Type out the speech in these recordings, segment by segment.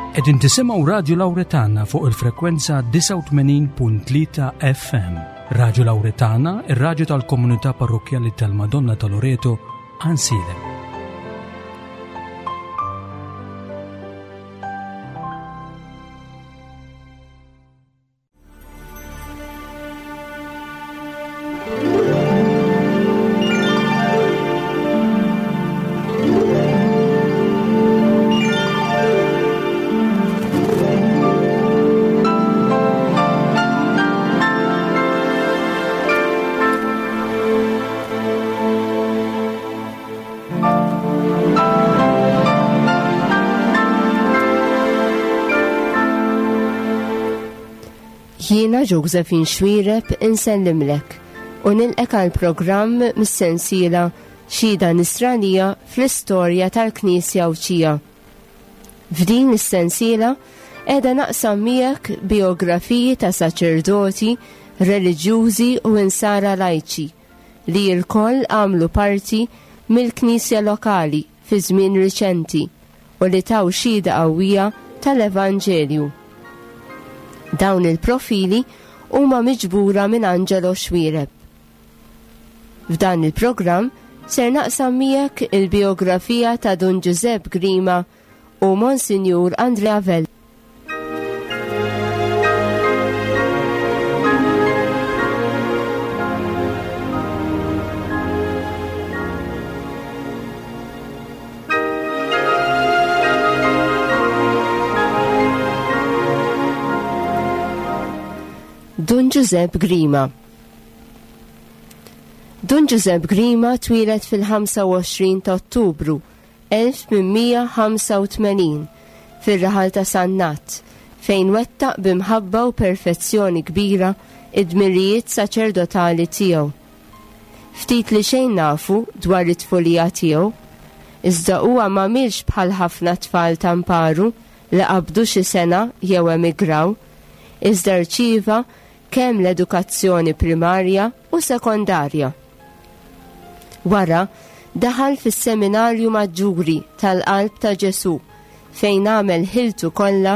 Qegħdin tisimgħu Radju Lawretana fuq il-frekwenza 89.3 FM. Radju Lawretana, ir-radju tal-komunità parrokkjali tal-Madonna ta' Loreto, Ansilem. Jiena Josephine Xuereb insellimlek u nilqek għal programm mis-sensiela Xhieda Nisranija fl-Istorja tal-Knisja Għawdxija. F'din is-sensiela qiegħda naqsam miegħek bijografiji ta' saċerdoti, reliġjużi u insara lajċi li lkoll għamlu parti mill-Knisja lokali fi żmien riċenti u li taw xhieda qawwija tal-Evanġelju. Dawn il-profili huma miġbura minn Angelo Xuereb. F'dan il-programm ser naqsam miegħek il-bijografija ta' Dun Ġużepp Grima u Monsinjur Andrea Vella. Dun Ġużepp Grima. Dun Ġużepp Grima twieled fil-25 ta' Ottubru 1885 fir-raħal ta' Sannat, fejn wettaq bi mħabba u perfezzjoni kbira id-dmirijiet saċerdotali tiegħu. Ftit li xejn nafu dwar it-tfulija tiegħu, iżda huwa m'għamilx bħal ħafna tfal ta' mparu li qabdu xi sena jew emigraw, iżda rċieva kemm l-edukazzjoni primarja u sekondarja. Wara, daħal fis-Seminarju Maġġuri tal-Qalb ta' Ġesù fejn għamel ħiltu kollha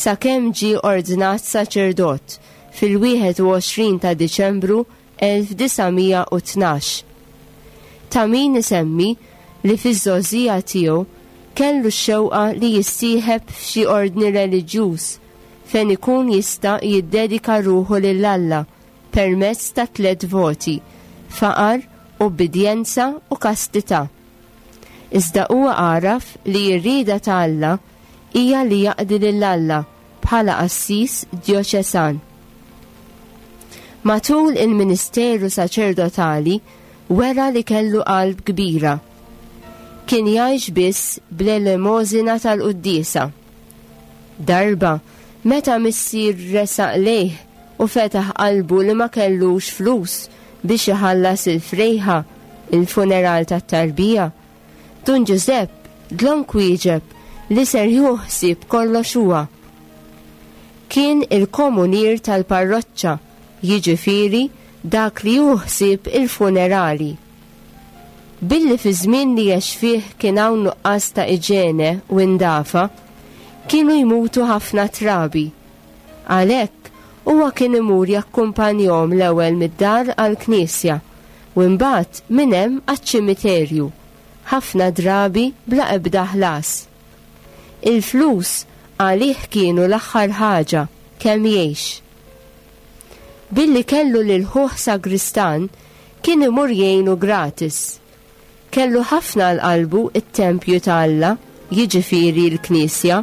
sakemm ġie ordnat saċerdot fil-21 ta' Diċembru 1912. Ta' min isemmi li fiż-żgħożija tiegħu kellu x-xewqa li jissieħeb f'xi ordni reliġjuż fejn ikun jista' jiddedika ruħu lil Alla permezz ta' tlett voti, faqar, ubbidjenza u kastità. Iżda huwa għaraf li r-rieda ta' Alla hija li jaqdi lil Alla bħala qassis djoċesan. Matul il-ministeru saċerdotali wera li kellu qalb kbira. Kien jgħix biss bl-elemożina tal-quddiesa. Darba, meta missier resaq lejh u fetaħ qalbu li ma kellux flus biex iħallas il-frejħa, il-funeral tat-tarbija, Dun Ġużepp dlonk wieġeb li ser jieħu ħsieb kollox huwa. Kien il-komunier tal-parroċċa, jiġifieri dak li jieħu ħsieb il-funerali. Billi fiż-żmien li għex fih kien hawn nuqqas ta' iġene u indafa, kienu jmutu ħafna trabi. Għalhekk, huwa kien imur jakkumpanjhom l-ewwel mid-dar għall-knisja u imbagħad minn hemm għaċ-ċimiterju, ħafna drabi bla ebda ħlas. Il-flus għalih kienu l-aħħar ħaġa kemm jgħix. Billi kellu lil ħuh sagristan, kien imur jgħinu gratis. Kellu ħafna għal qalbu t-tempju ta' Alla, jiġifieri l-knisja.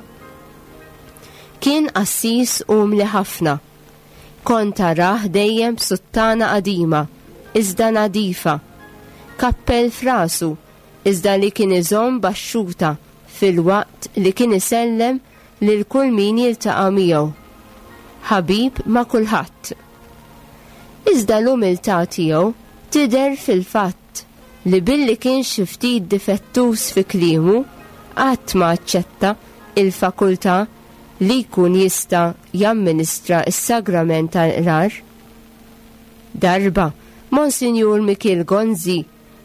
Kien qassis umli ħafna. Kont tarah dejjem b'suttana qadima, iżda nadifa, kappell f'rasu, iżda li kien iżomm baxxuta filwaqt li kien isellem lil kull min jiltaqa' miegħu. Ħabib ma' kulħadd. Iżda l-umiltà tiegħu tidher fil-fatt li billi kien xi ftit difettuż fi kliemu, qatt ma aċċetta il-fakultà li jkun jista' jamministra s-sagrament tal-qrar. Darba, Monsinjur Mikiel Gonzi,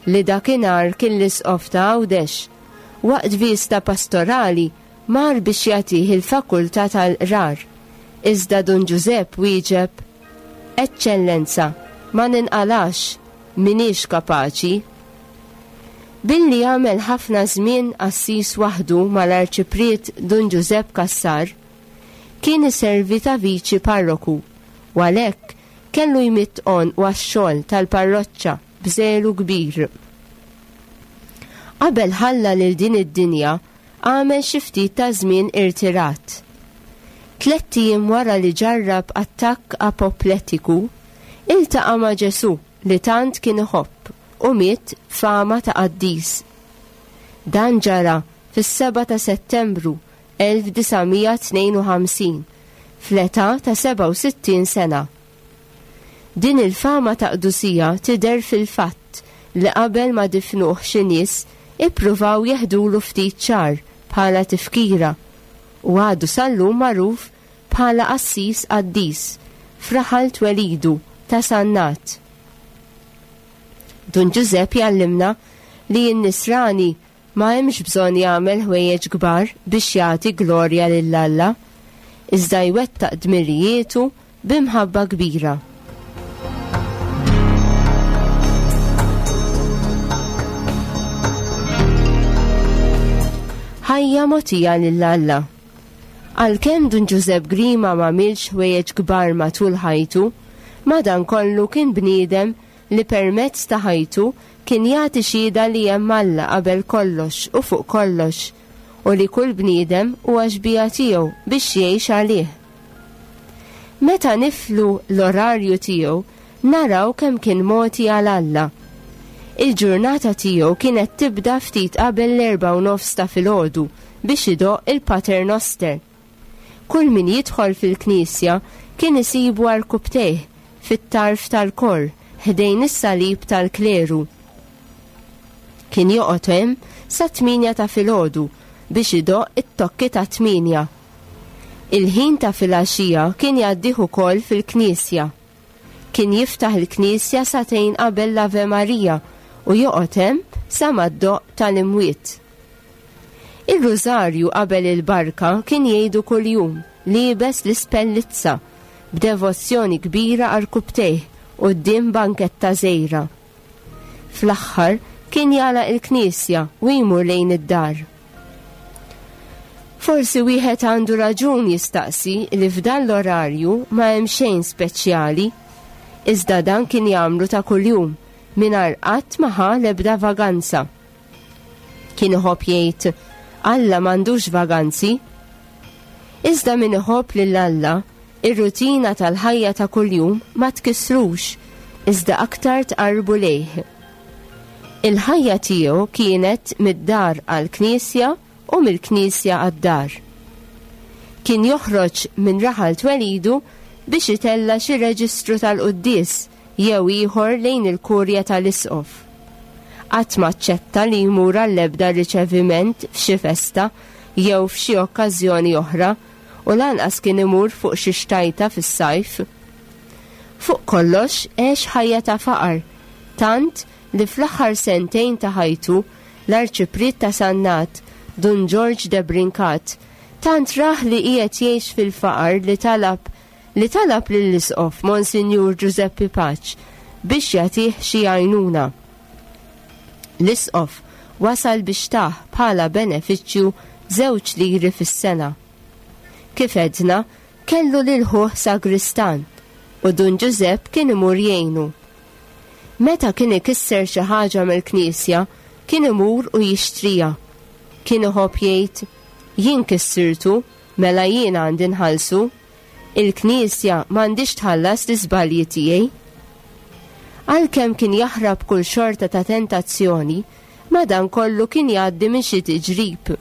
li dakinhar kien l-Isqof ta' Għawdex, waqt viżta pastorali. mar biex jagħtih il-fakultà tal-qrar, iżda Dun Ġużepp wieġeb, Eċċellenza, ma ninqalax, m'iniex kapaċi. Billi għamel ħafna żmien qassis waħdu mal-Arċipriet Dun Ġużepp Cassar, kien iservi ta' viċi parroku u għalhekk kellu jmidd għonqu għax-xogħol tal-parroċċa b'żelu kbir. Qabel ħalla lil din id-dinja għamel xi ftit ta' żmien irtirat. Tlett ijiem wara li ġarrab attakk apoplettiku, iltaqa' ma' Ġesù li tant kien iħobb u miet f'fama ta' qaddis. Dan ġara fis-7 ta' Settembru 1952, fl-età ta' 67 sena. Din il-fama ta' qdusija tidher fil-fatt li qabel ma difnuh xi nies ippruvaw jeħdulu ftit xagħar bħala tifkira u għadu sal-lum magħruf bħala qassis qaddis f'raħal twelidu ta' Sannat. Dun Ġużepp jgħallimna li n-Nisrani Ma hemmx bżonn jagħmel ħwejjeġ kbar biex jagħti glorja lil Alla, iżda jwettaq dmirijietu bi mħabba kbira. Ħajja mogħtija lil Alla. Għalkemm Dun Ġużepp Grima m'għamilx ħwejjeġ kbar matul ħajtu, madankollu kien bniedem li permezz ta' ħajtu kien jagħti xhieda li hemm Alla qabel kollox u fuq kollox, u li kull bniedem huwa xbieha tiegħu biex jgħix għalih. Meta niflu l-orarju tiegħu naraw kemm kien mogħti għal Alla. Il-ġurnata tiegħu kienet tibda ftit qabel l-erbgħa u nofs ta' filgħodu biex idoqq il-Pater Noster. Kull min jidħol fil-knisja kien isibu għarkupptejh fit-tarf tal-kor ħdejn is-salib tal-kleru. Kien joqgħod hemm sat-tmienja ta' filgħodu biex idoqq it-tokki tat-tmienja. Il-ħin ta' filgħaxija kien jgħaddih ukoll fil-knisja. Kien jiftaħ il-knisja sagħtejn qabel l-Ave Maria u joqgħod hemm sa ma ddoqq tal-imwiet. Ir-Rużarju qabel il-barka kien jgħidu kuljum, liebes l-ispellizza, b'devozzjoni kbira għarkupptejh quddiem banketta żgħira. Fl-aħħar kien jagħlaq il-knisja u jmur lejn id-dar. Forsi wieħed għandu raġun jistaqsi li f'dan l-orarju ma hemm xejn speċjali, iżda dan kien jagħmlu ta' kuljum mingħajr qatt ma ħa l-ebda vaganza. Kien iħobb jgħid, Alla m'għandux vaganzi. Iżda min iħobb lil Alla, ir-rutina tal-ħajja ta' kuljum ma tkissrux, iżda aktar tqarrbu lejh. Il-ħajja tiegħu kienet mid-dar għall-knisja u mill-knisja għad-dar. Kien joħroġ minn raħal twelidu biex itella' xi reġistru tal-quddies jew ieħor lejn il-kurja tal-isqof. Qatt ma aċċetta li jmur għall-ebda riċeviment f'xi festa jew f'xi okkażjoni oħra u lanqas kien imur fuq xi xtajta fis-sajf. Fuq kollox għex ħajja ta' faqar, tant li fl-aħħar sentejn ta' ħajtu l-Arċipriet ta' Sannat, Dun Ġorġ de Brincat, tant rah li qiegħed jgħix fil-faqar li talab li talab lill-Isqof Monsinjur Ġużeppi Paċ biex jagħtih xi għajnuna. L-Isqof wasal biex tah bħala benefiċċju żewġ liri fis-sena. Kif għedna, kellu lil ħuh sagristan u Dun Ġużepp kien imur jgħinu. Meta kien ikisser xi ħaġa mill-knisja, kien imur u jixtriha. Kien iħobb jgħid, Jien kissirtu, Mela jien għandi nħallsu? Il-Knisja m'għandhiex tħallas l-iżbalji tiegħi. Għalkemm kien jaħrab kull xorta ta' tentazzjoni, madankollu kien jgħaddi minn xi tiġrib.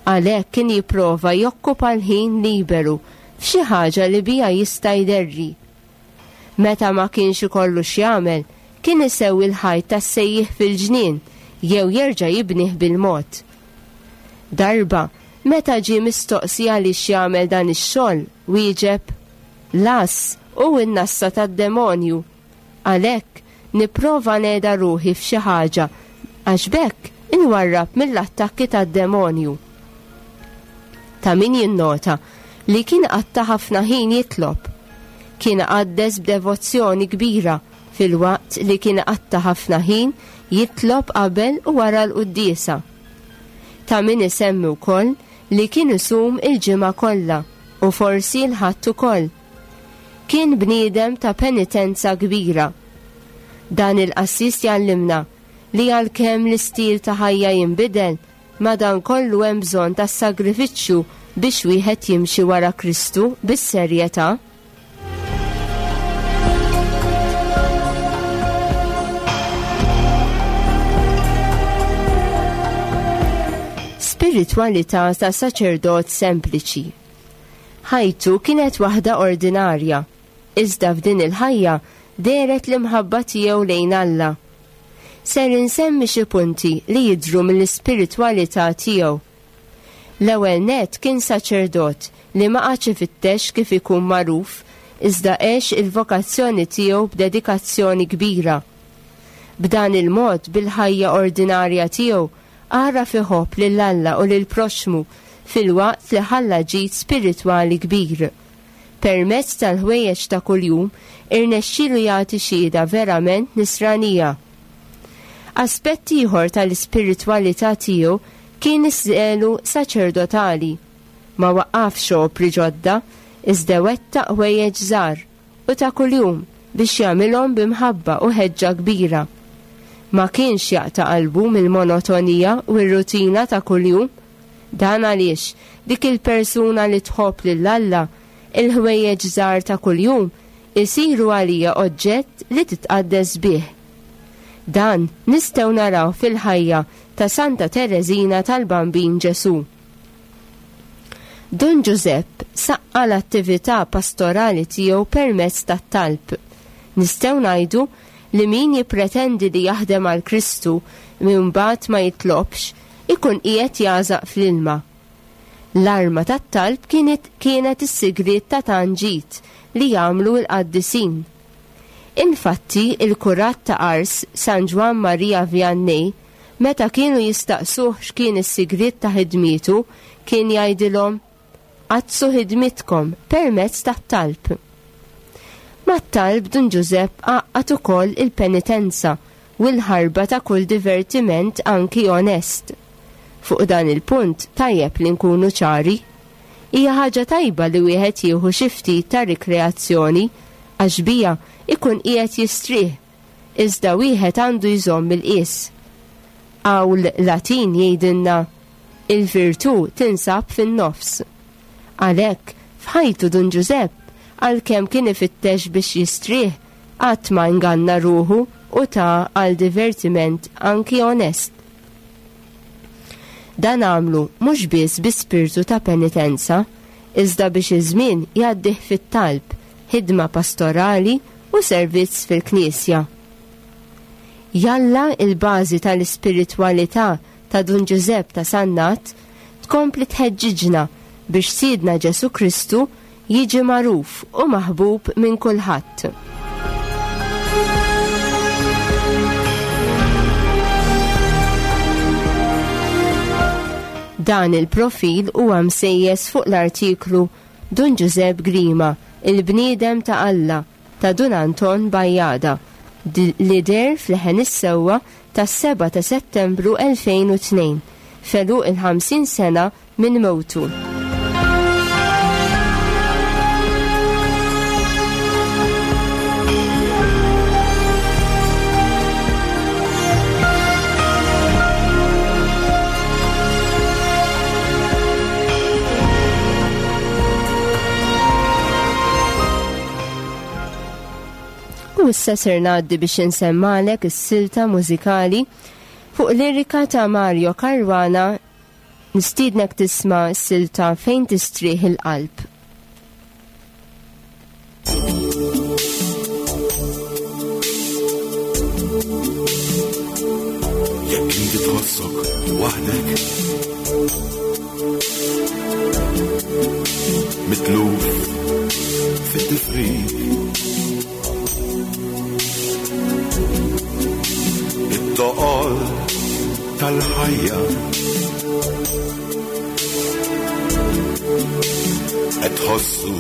Għalhekk kien jipprova jokkupa l-ħin liberu f'xi ħaġa li biha jista' jderri. Meta ma kienx ikollu x'jagħmel, kien isewwi l-ħajt tas-sejjieħ fil-ġnien jew jerġa' jibnih bil-mod. Darba, meta ġie mistoqsi għaliex jagħmel dan ix-xogħol, wieġeb, L-għażż hu n-nassa tad-demonju. Għalhekk, nipprova ngħeda ruħi f'xi ħaġa għax b'hekk inwarrab mill-attakki tad-demonju. Ta' min jinnota li kien qatta' ħafna ħin jitlob. Kien iqaddes b'devozzjoni kbira filwaqt li kien iqatta' ħafna ħin jitlob qabel u wara l-quddiesa. Ta' min isemmi wkoll li kien isum il-ġimgħa kollha u forsi l-Ħadd ukoll. Kien bniedem ta' penitenza kbira. Dan il-qassis jgħallimna li għalkemm l-istil ta' ħajja jinbidel, madankollu hemm bżonn tas-sagrifiċċju biex wieħed jimxi wara Kristu bis-serjetà. Spiritwalità ta' saċerdot sempliċi. Ħajtu kienet waħda ordinarja, iżda f'din il-ħajja dehret l-imħabba tiegħu lejn Alla. Ser insemmi xi punti li jidhru mill-ispiritwalità tiegħu. L-ewwel nett kien saċerdot li ma qagħadx ifittex kif ikun magħruf iżda għex il-vokazzjoni tiegħu b'dedikazzjoni kbira. B'dan il-mod bil-ħajja ordinarja tiegħu għaraf iħobb lil Alla u lill-proxxmu filwaqt li ħalla ġid spiritwali kbir. Permezz tal-ħwejjeġ ta' kuljum irnexxielu jagħti xhieda verament nisranija. Aspett ieħor tal-ispiritwalità tiegħu kien iż-żelu saċerdotali. Ma waqqafx opri ġodda, iżda wettaq ħwejjeġ żgħar u ta' kuljum biex jagħmilhom bi mħabba u ħeġġa kbira. Ma kienx jaqta' qalbu mill-monotonija u r-rutina ta' kuljum. Dan għaliex dik il-persuna li tħobb lil Alla, il-ħwejjeġ żgħar ta' kuljum isiru għaliha oġġett li titqaddes bih. Dan nistgħu narawh fil-ħajja ta' Santa Tereżina tal-Bambin Ġesù. Dun Ġużepp saqqa l-attività pastorali tiegħu permezz tat-talb. Nistgħu ngħidu li min jippretendi li jaħdem għal Kristu minn mbagħad ma jitlobx, ikun qiegħed jagħżaq fl-ilma. L-arma tat-talb kienet kienet is-sigriet ta' tant ġid li jagħmlu l-qaddisin. Infatti, il-kurat ta' Ars, San Ġwann Maria Vianney, meta kienu jistaqsuh x'kien is-sigriet ta' ħidmietu, kien jgħidilhom, Qaddsu ħidmitkom permezz tat-talb. Mat-talb Dun Ġużepp għaqqad ukoll il-penitenza u l-ħarba ta' kull divertiment anki onest. Fuq dan il-punt tajjeb li nkunu ċari. Hija ħaġa tajba li wieħed jieħu xi ftit ta' rikreazzjoni għax biha jkun qiegħed jistrieħ, iżda wieħed għandu jżomm il-qies. Qawl Latin jgħidilna, Il-virtù tinsab fin-nofs. Għalhekk, f'ħajtu Dun Ġużepp, għalkemm kien ifittex biex jistrieħ, qatt ma inganna ruħu u ta għal divertiment anki onest. Dan għamlu mhux biss bi spirtu ta' penitenza, iżda biex iż-żmien jgħaddih fit-talb, ħidma pastorali u servizz fil-Knisja. Jalla l-bażi tal-ispiritwalità ta' Dun Ġużepp ta' Sannat tkompli tħeġġiġna biex Sidna Ġesù Kristu jiġi magħruf u maħbub minn kulħadd. Dan il-profil huwa msejjes fuq l-artiklu Dun Ġużepp Grima, il-bniedem ta' Alla ta' Dun Anton Bajada li deher f'Leħen is-Sewwa tas-7 ta' Settembru 2002, f'għeluq il-50 sena minn mewtu. U issa ser ngħaddi biex insemmalek is-silta mużikali fuq lirika ta' Mario Caruana Nistiednek tisma' s-silta Fejn Tistrieħ il-Qalb. Jekk inti tħossok waħdek Mitluf fit-tifrik It-toqol tal-ħajja. Qed tħossu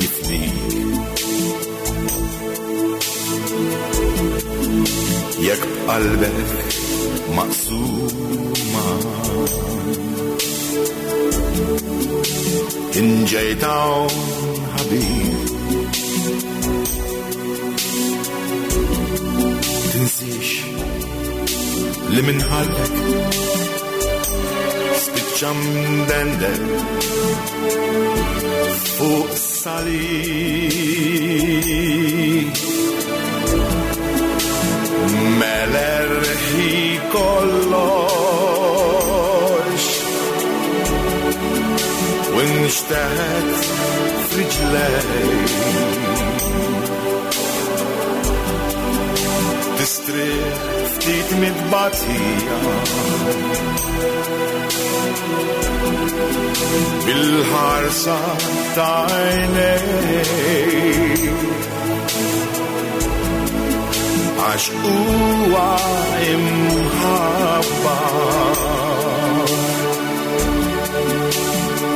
jifnik. Jekk b'qalbek maqsuma Inġejt hawn ħabib Tinsiex li minn ħalqek spiċċa mdendel fuq salib. Melerħi kollox u nxteħet f'riġlej. Tistrieħ ftit mit-tbatija bil-ħarsa ta' għajnejk. Għax huwa imħabba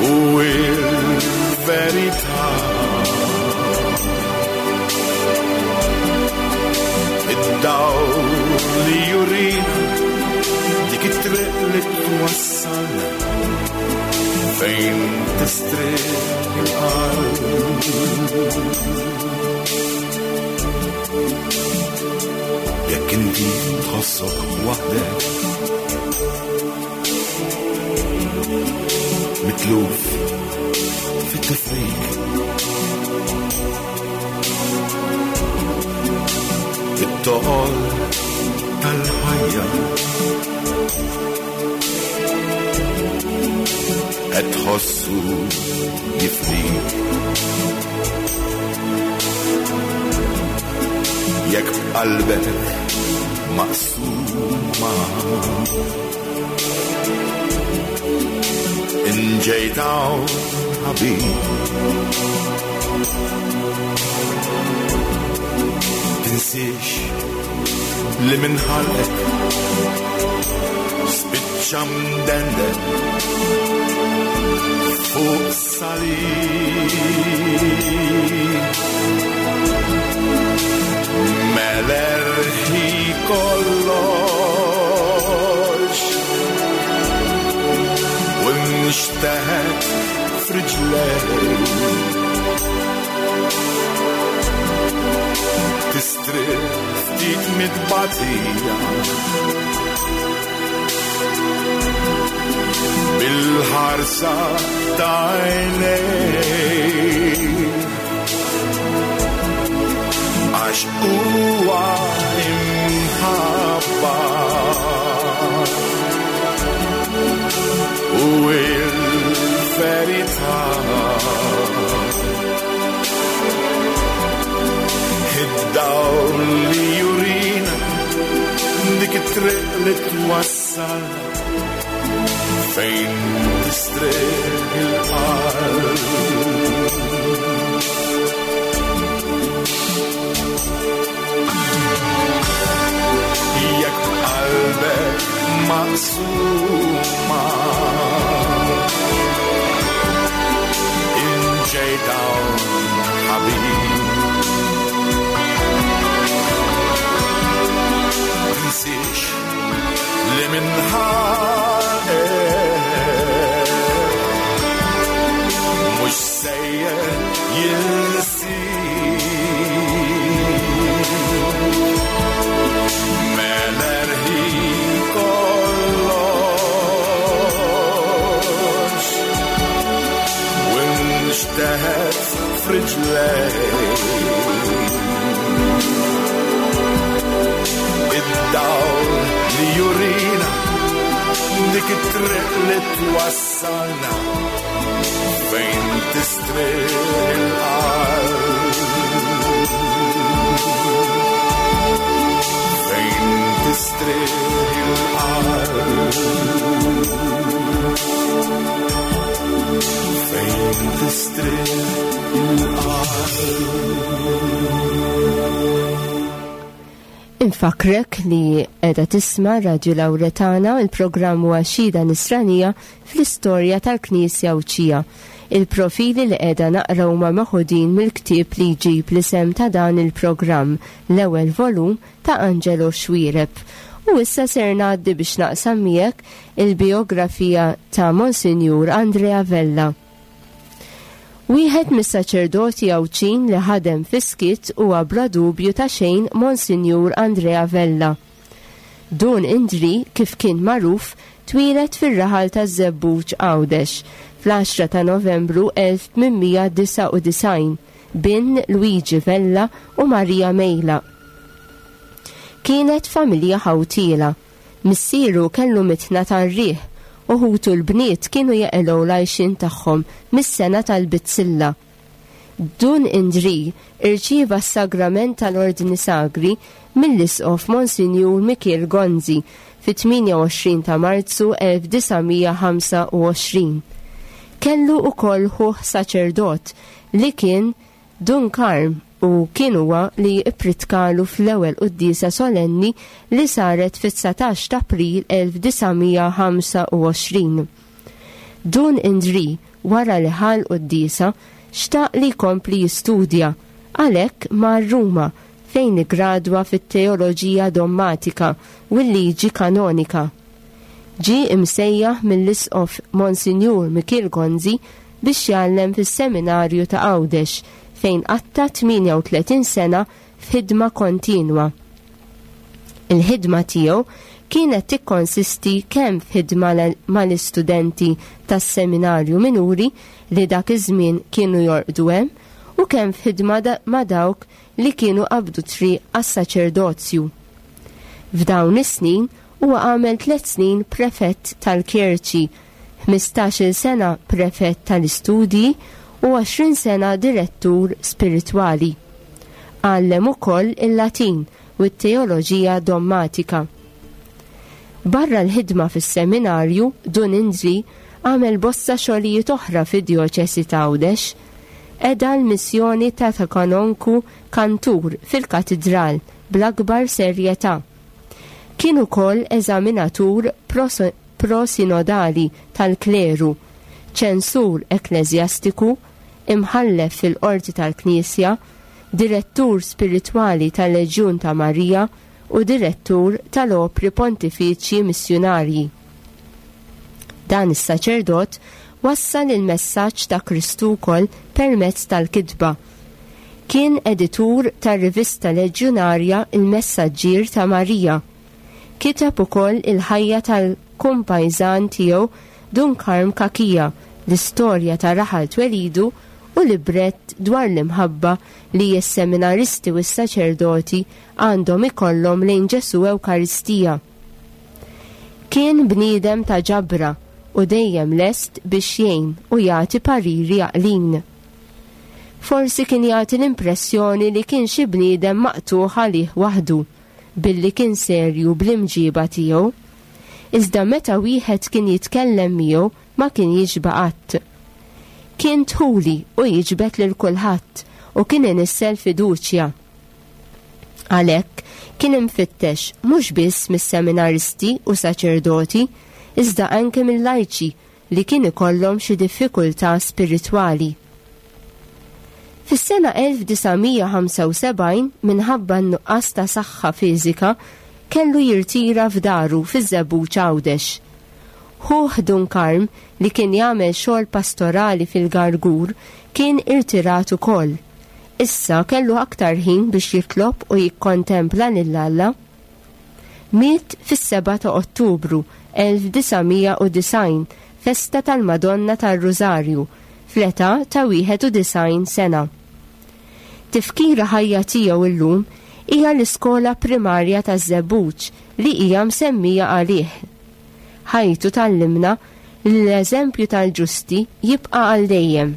u il-verità. Id-dawl li jurina dik it-triq li twassalna fejn tistrieħ il-qalb. Jekk inti tħossok waħdek mitluf fit-tifrik it-toqol tal-ħajja qed tħossu jifnik. Jekk b'qalbek maqsuma inġejt hawn ħabib. Tinsiex li minn ħalqek spiċċa mdendel fuq salib. Melerħi kollox u nxteħet f'riġlej. Tistrieħ ftit mit-tbatija bil-ħarsa ta' għajnejk. Għax huwa imħabba u il-verità. Id-dawl li jurina dik it-triq li twassalna fejn tistrieħ il-qalb. Jekk b'qalbek maqsuma inġejt hawn ħabib. Tinsiex li minn ħalqek mhux sejjer jinsik. Melerħi kollox u nxteħet f'riġlejk. Id-dawl li jurina dik it-triq li twassalna fejn tistrieħ il-qalb. Fejn tistrieħ il-qalb. Fejn tistrieħ il-qalb. Infakkrek li qiegħda tisma' Radju Lawretana, il-programm huwa Xhieda Nisranija fl-istorja tal-Knisja Għawdxija. Il-profili li qiegħda naqra huma meħudin mill-ktieb li jġib l-isem ta' dan il-programm, l-ewwel volum ta' Angelo Xuereb. U issa ser ngħaddi biex naqsam miegħek il-bijografija ta' Monsinjur Andrea Vella. Wieħed mis-saċerdoti Għawdxin li ħadem fis-skiet huwa bla dubju ta' xejn Monsinjur Andrea Vella. Dun Indri, kif kien magħruf, twieled fir-raħal taż-Żebbuġ Għawdex fl-10 ta' Novembru 1899, bin Luigi Vella u Maria Mejla. Kienet familja ħawtiela. Missieru kellu mitħna tar-riħ u ħutu l-bniet kienu jeqilgħu l-għajxien tagħhom mis-sengħa tal-bizzilla. Dun Indrì irċieva s-sagrament tal-Ordni Sagri mill-Isqof Monsinjur Mikiel Gonzi fit-28 ta' Marzu 1925. Kellu ukoll ħuh saċerdot li kien Dun Karm u kien huwa li ppritkalu fl-ewwel quddiesa solenni li saret fit-19 t'April 1925. Dun Indrì wara li ħa l-quddiesa xtaq li jkompli jistudja, għalhekk mar Ruma fejn iggradwa fit-teoloġija dommatika u l-liġi kanonika. Ġie imsejjaħ mill-Isqof Monsinjur Mikiel Gonzi biex jgħallem fis-Seminarju ta' Għawdex fejn qatta' 38 sena f'ħidma kontinwa. Il-ħidma tiegħu kienet tikkonsisti kemm f'ħidma mal-istudenti tas-Seminarju Minuri li dak iż-żmien kienu jorqdu hemm u kemm f'ħidma ma' dawk li kienu qabdu triq għas-saċerdozju. F'dawn is-snin huwa għamel tliet snin prefett tal-kjerċi, ħmistax-il sena prefett tal-istudji u 20 sena direttur spiritwali. Għallem ukoll il-Latin u t-teoloġija dommatika. Barra l-ħidma fis-seminarju, Dun Indri għamel bosta xogħlijiet oħra fid-djoċesi ta' Għawdex. Qeda l-missjoni ta' ta' kanonku kantur fil-katidral bl-akbar serjetà. Kien ukoll eżaminatur prosinodali tal-kleru, ċensur ekkleżjastiku, imħallef fil-Qorti tal-Knisja, direttur spiritwali tal-Leġjun ta' Marija u direttur tal-Opri Pontifiċji Missjunarji. Dan is-saċerdot wassal il-messaġġ ta' Kristu wkoll permezz tal-kitba. Kien editur tar-rivista leġjunarja Il-Messaġġier ta' Marija. Kiteb ukoll il-ħajja tal-kumpajżan tiegħu Dun Karm Cachia, l-istorja ta' raħal twelidu u librett dwar l-imħabba li s-seminaristi u s-saċerdoti għandhom ikollhom lejn Ġesù Ewkaristija. Kien bniedem ta' ġabra u dejjem lest biex jgħin u jagħti pariri għaqlin. Forsi kien jagħti l-impressjoni li kien xi bniedem maqtugħ għalih waħdu, billi kien serju bl-imġiba tiegħu. Iżda meta wieħed kien jitkellem miegħu ma kien jixba' qatt. Kien dħuli u jiġbed lil kulħadd u kien inissel fiduċja. Għalhekk, kien imfittex mhux biss mis-seminaristi u saċerdoti, iżda anke mil-lajċi li kien ikollhom xi diffikultà spiritwali. Fis-sena 1975, minħabba n-nuqqas ta' saħħa fiżika, kellu jirtira f'daru fiż-Żebbuġ Għawdex. Ħuh Dun Karm, li kien jagħmel xogħol pastorali fil-Gargur, kien irtirat ukoll. Issa kellu aktar ħin biex jitlob u jikkontempla lil Alla. Miet fis-7 ta' Ottubru 1990, festa tal-Madonna tar-Rużarju, fl-età ta' 91 sena. Tifkira ħajja tiegħu llum hija l-iskola primarja taż-Żebbuġ li hija msemmija għalih. Ħajtu tgħallimna li l-eżempju tal-ġusti jibqa' għal dejjem.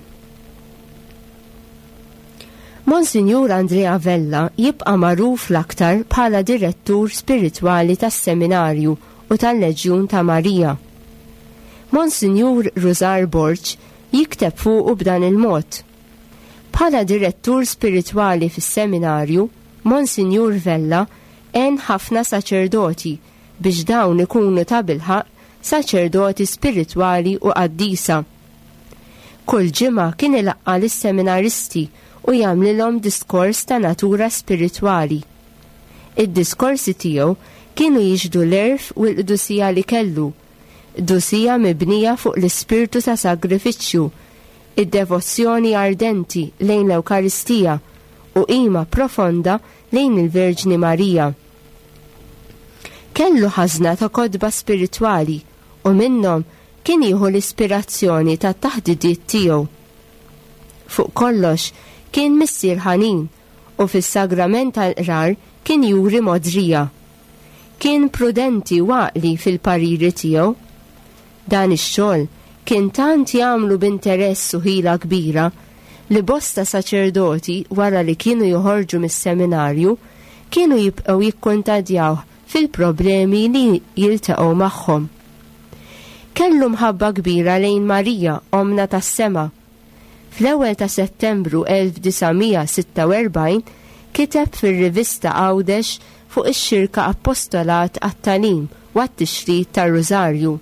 Monsinjur Andrea Vella jibqa' magħruf l-aktar bħala direttur spiritwali tas-Seminarju u tal-Leġjun ta' Marija. Monsinjur Rużar Borg jikteb fuqu b'dan il-mod, Bħala direttur spiritwali fis-Seminarju, Monsinjur Vella Għen ħafna saċerdoti biex dawn ikunu tabilħaqq saċerdoti spiritwali u qaddisa. Kull ġimgħa kien ilaqqa' lis-seminaristi u jagħmlilhom diskors ta' natura spiritwali. Id-diskorsi tiegħu kienu jixhdu l-għerf u l-qdusija li kellu, qdusija mibnija fuq l-ispirtu ta' sagrifiċċju, id-devozzjoni ardenti lejn l-Ewkaristija u qima profonda lejn il-Verġni Marija. Kellu ħażna ta' kotba spiritwali u minnhom kien jieħu l-ispirazzjoni tat-taħdidiet tiegħu. Fuq kollox, kien missier ħanin u fis-sagrament tal-qrar kien juri mogħdrija. Kien prudenti u għaqli fil-pariri tiegħu. Dan ix-xogħol kien tant jagħmlu b'interess u ħila kbira li bosta saċerdoti wara li kienu joħorġu mis-seminarju kienu jibqgħu jikkuntadjawh fil-problemi li jiltaqgħu magħhom. Kellu mħabba kbira lejn Marija, Ommna tas-Sema. Fl-ewwel ta' Settembru 1946 kiteb fir-rivista Għawdex fuq ix-Xirka Appostolat għat-Tagħlim u għat-Tixrid tar-Rużarju.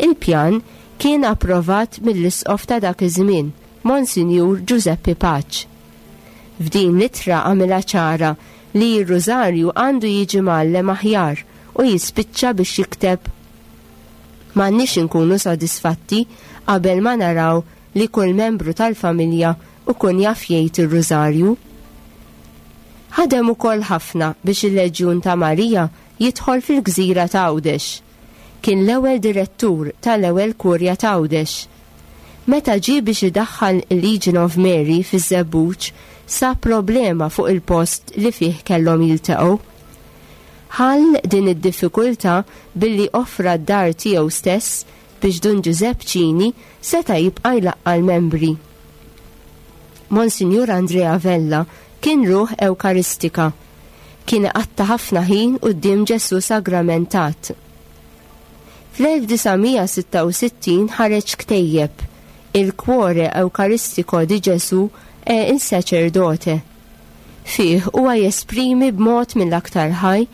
Il-pjan kien approvat mill-Isqof ta' dak iż-żmien, Monsinjur Ġużeppi Paċ. F'din l-ittra għamilha ċara li r-Rużarju għandu jiġi mgħallem aħjar u jispiċċa biex jikteb M'għandniex inkunu sodisfatti qabel ma naraw li kull membru tal-familja ukun jaf jgħid ir-Rużarju. Ħadem ukoll ħafna biex il-Leġjun ta' Marija jidħol fil-gżira ta' Għawdex. Kien l-ewwel direttur tal-ewwel Kurja ta' Għawdex. Meta ġie biex idaħħal il-Legion of Mary fiż-Żebbuġ sab problema fuq il-post li fih kellhom jiltaqgħu. Ħall din id-diffikultà billi offra d-dar tiegħu stess biex Dun Ġużepp Cini seta' jibqa' jlaqqa' l-membri. Monsinjur Andrea Vella kien ruħ Ewkaristika. Kien iqatta' ħafna ħin quddiem Ġesù Sagramentat. Fl-1966 ħareġ ktejjeb, Il Cuore Eucaristico di Gesù e il Sacerdote. Fih huwa jesprimi b'mod mill-aktar ħaj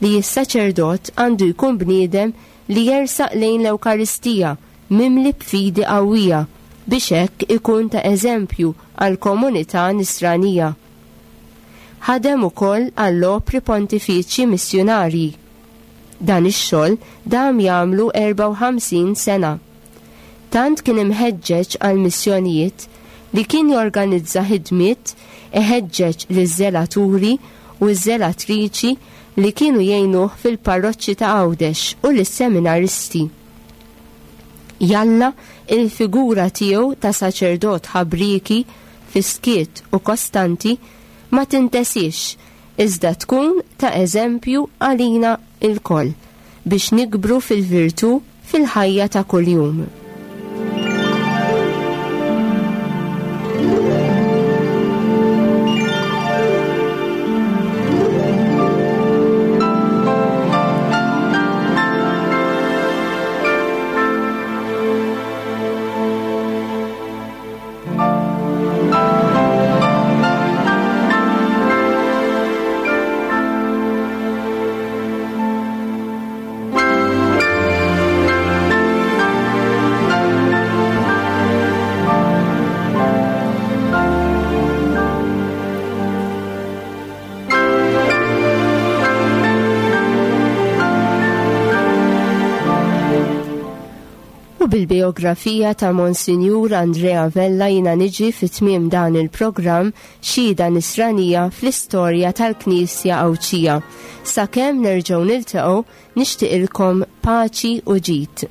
li s-saċerdot għandu jkun bniedem li jersaq lejn l-Ewkaristija mimli b'fidi qawwija biex hekk ikun ta' eżempju għall-komunità Nisranija. Ħadem ukoll għall-opri pontifiċji missjunarji. Dan ix-xogħol dam jagħmlu 54 sena. Tant kien imħeġġeġ għall-missjonijiet li kien jorganizza ħidmiet iħeġġeġ liż-żelaturi u ż-żelatriċi li kienu jgħinuh fil-parroċċi ta' Għawdex u lis-seminaristi. Jalla il-figura tiegħu ta' saċerdot ħabrieki, fis-skiet u kostanti ma tintesiex iżda tkun ta' eżempju għalina lkoll biex nikbru fil-virtù fil-ħajja ta' kuljum. U bil-bijografija ta' Monsinjur Andrea Vella jina niġi fi tmiem dan il-programm Xhieda Nisranija fl-Istorja tal-Knisja Għawdxija. Sakemm nerġgħu niltaqgħu nixtieqilkom paċi u ġid.